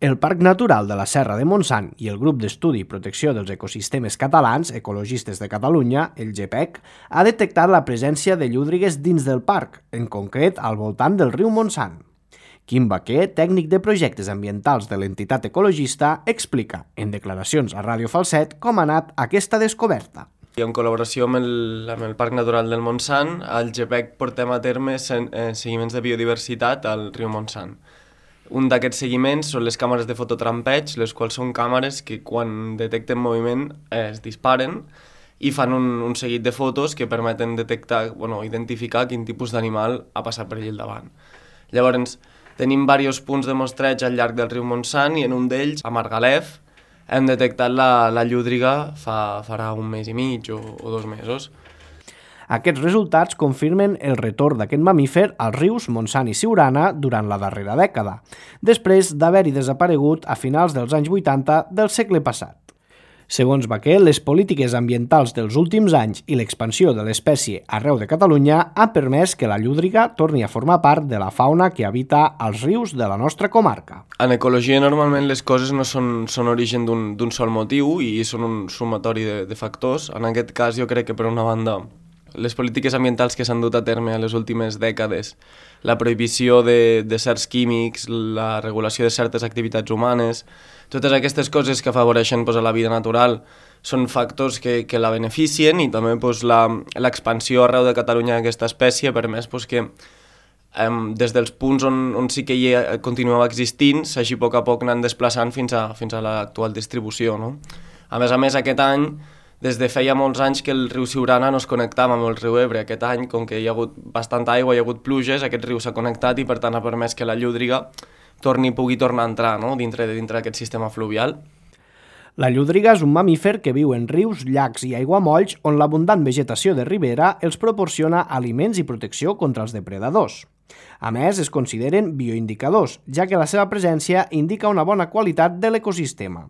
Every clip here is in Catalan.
El Parc Natural de la Serra de Montsant i el Grup d'Estudi i Protecció dels Ecosistemes Catalans, Ecologistes de Catalunya, el GEPEC, ha detectat la presència de llúdrigues dins del parc, en concret al voltant del riu Montsant. Quim Baquer, tècnic de projectes ambientals de l'entitat ecologista, explica, en declaracions a Ràdio Falset, com ha anat aquesta descoberta. I en col·laboració amb el Parc Natural del Montsant, al GEPEC portem a terme seguiments de biodiversitat al riu Montsant. Un d'aquests seguiments són les càmeres de fototrampeig, les quals són càmeres que quan detecten moviment es disparen i fan un seguit de fotos que permeten identificar quin tipus d'animal ha passat per allà al davant. Llavors, tenim diversos punts de mostreig al llarg del riu Montsant i en un d'ells, a Margalef, hem detectat la llúdriga farà un mes i mig o 2 mesos. Aquests resultats confirmen el retorn d'aquest mamífer als rius Montsant i Siurana durant la darrera dècada, després d'haver-hi desaparegut a finals dels anys 80 del segle passat. Segons Baquer, les polítiques ambientals dels últims anys i l'expansió de l'espècie arreu de Catalunya ha permès que la llúdriga torni a formar part de la fauna que habita als rius de la nostra comarca. En ecologia, normalment, les coses no són origen d'un sol motiu i són un sumatori de factors. En aquest cas, jo crec que, per una banda, les polítiques ambientals que s'han dut a terme en les últimes dècades, la prohibició de certs químics, la regulació de certes activitats humanes, totes aquestes coses que afavoreixen a la vida natural són factors que la beneficien i també l'expansió arreu de Catalunya d'aquesta espècie ha permès que des dels punts on sí que hi continuava existint s'hagi a poc anant desplaçant fins a l'actual distribució. No? A més, aquest any, des de feia molts anys que el riu Siurana no es connectava amb el riu Ebre. Aquest any, com que hi ha hagut bastanta aigua, hi ha hagut pluges, aquest riu s'ha connectat i per tant ha permès que la llúdriga pugui tornar a entrar, no? dintre d'aquest sistema fluvial. La llúdriga és un mamífer que viu en rius, llacs i aiguamolls on l'abundant vegetació de ribera els proporciona aliments i protecció contra els depredadors. A més, es consideren bioindicadors, ja que la seva presència indica una bona qualitat de l'ecosistema.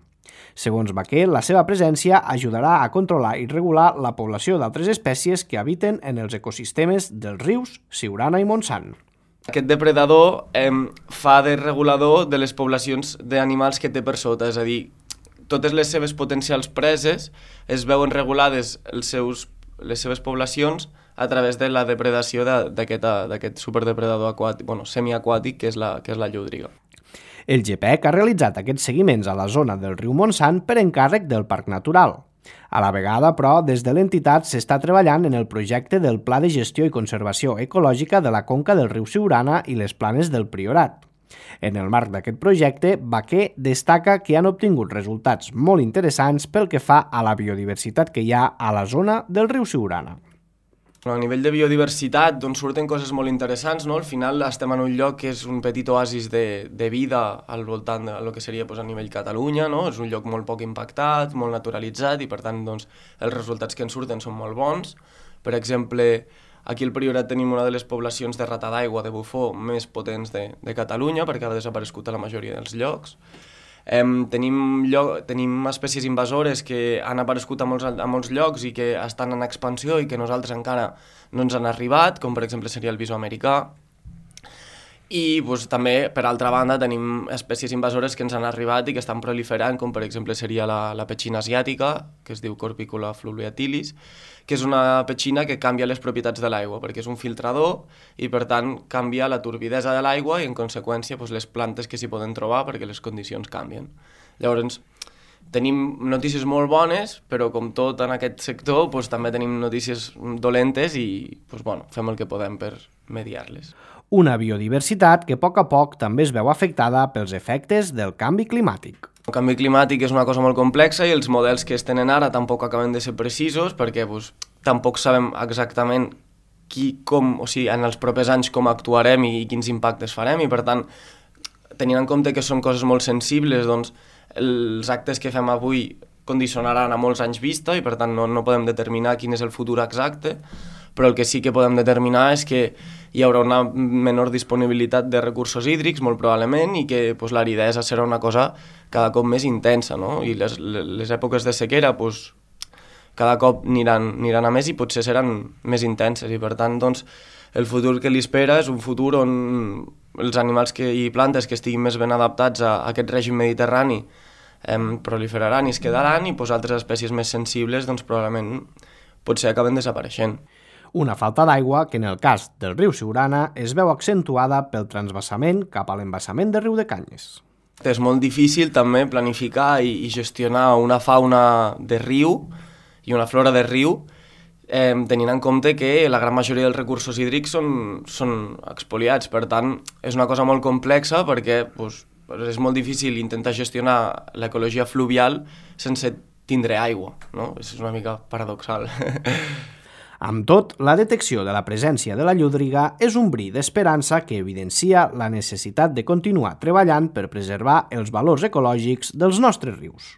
Segons Baquer, la seva presència ajudarà a controlar i regular la població d'altres espècies que habiten en els ecosistemes dels rius Siurana i Montsant. Aquest depredador fa de regulador de les poblacions d'animals que té per sota, és a dir, totes les seves potencials preses es veuen regulades les seves poblacions a través de la depredació d'aquest superdepredador semiaquàtic que és la llúdriga. El GEPEC ha realitzat aquests seguiments a la zona del riu Montsant per encàrrec del Parc Natural. A la vegada, però, des de l'entitat s'està treballant en el projecte del Pla de Gestió i Conservació Ecològica de la conca del riu Siurana i les Planes del Priorat. En el marc d'aquest projecte, Baquer destaca que han obtingut resultats molt interessants pel que fa a la biodiversitat que hi ha a la zona del riu Siurana. A nivell de biodiversitat surten coses molt interessants, no? Al final estem en un lloc que és un petit oasis de vida al voltant del que seria a nivell Catalunya, no? És un lloc molt poc impactat, molt naturalitzat i per tant els resultats que en surten són molt bons. Per exemple, aquí al Priorat tenim una de les poblacions de rata d'aigua de bufó més potents de Catalunya perquè ha desaparegut a la majoria dels llocs. Tenim espècies invasores que han aparegut a molts llocs i que estan en expansió i que nosaltres encara no ens han arribat, com per exemple seria el bisó americà. I també, per altra banda, tenim espècies invasores que ens han arribat i que estan proliferant, com per exemple seria la petxina asiàtica, que es diu Corpicula fluviatilis, que és una petxina que canvia les propietats de l'aigua, perquè és un filtrador i, per tant, canvia la turbidesa de l'aigua i, en conseqüència, les plantes que s'hi poden trobar perquè les condicions canvien. Llavors, tenim notícies molt bones, però com tot en aquest sector, també tenim notícies dolentes i fem el que podem per mediar-les. Una biodiversitat que a poc també es veu afectada pels efectes del canvi climàtic. El canvi climàtic és una cosa molt complexa i els models que es tenen ara tampoc acaben de ser precisos perquè tampoc sabem exactament en els propers anys com actuarem i quins impactes farem i per tant, tenint en compte que són coses molt sensibles, els actes que fem avui condicionaran a molts anys vista i per tant no podem determinar quin és el futur exacte, però el que sí que podem determinar és que hi haurà una menor disponibilitat de recursos hídrics, molt probablement, i que l'aridesa serà una cosa cada cop més intensa, no? I les èpoques de sequera cada cop aniran a més i potser seran més intenses, i per tant doncs, el futur que li espera és un futur on els animals i plantes que estiguin més ben adaptats a aquest règim mediterrani proliferaran i es quedaran, i altres espècies més sensibles doncs, probablement potser acaben desapareixent. Una falta d'aigua que en el cas del riu Siurana es veu accentuada pel transvasament cap a l'embassament de Riudecanyes. És molt difícil també planificar i gestionar una fauna de riu i una flora de riu tenint en compte que la gran majoria dels recursos hídrics són expoliats. Per tant, és una cosa molt complexa perquè és molt difícil intentar gestionar l'ecologia fluvial sense tindre aigua, no? És una mica paradoxal. Amb tot, la detecció de la presència de la llúdriga és un bri d'esperança que evidencia la necessitat de continuar treballant per preservar els valors ecològics dels nostres rius.